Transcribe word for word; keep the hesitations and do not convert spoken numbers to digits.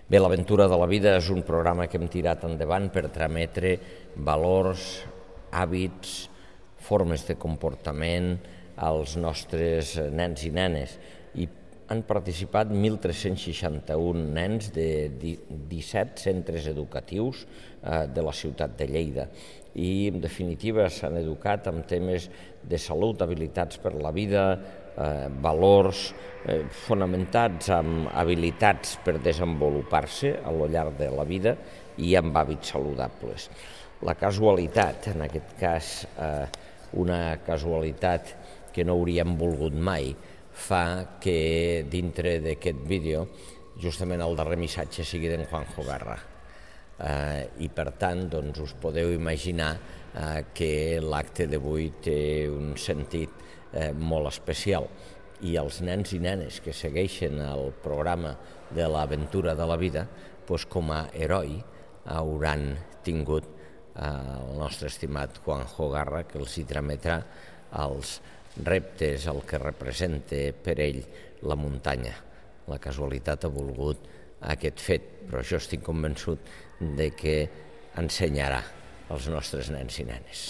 Bé, l'Aventura de la Vida és un programa que hem tirat endavant per trametre valors, hàbits, formes de comportament als nostres nens i nenes. I han participat mil tres-cents seixanta-un nens de disset centres educatius de la ciutat de Lleida. I, en definitiva, s'han educat en temes de salut, habilitats per la vida, eh, valors eh, fonamentats en habilitats per desenvolupar-se a lo llarg de la vida i amb hàbits saludables. La casualitat, en aquest cas eh, una casualitat que no hauríem volgut mai, fa que dintre d'aquest vídeo justament el darrer missatge sigui d'en Juanjo Garra. Uh, i per tant doncs, us podeu imaginar uh, que l'acte d'avui té un sentit uh, molt especial i els nens i nenes que segueixen el programa de l'Aventura de la Vida doncs, com a heroi hauran tingut uh, el nostre estimat Juanjo Garra, que els hi trametrà els reptes, el que representa per ell la muntanya. La casualitat ha volgut aquest fet, però jo estic convençut de que ensenyarà als nostres nens i nenes.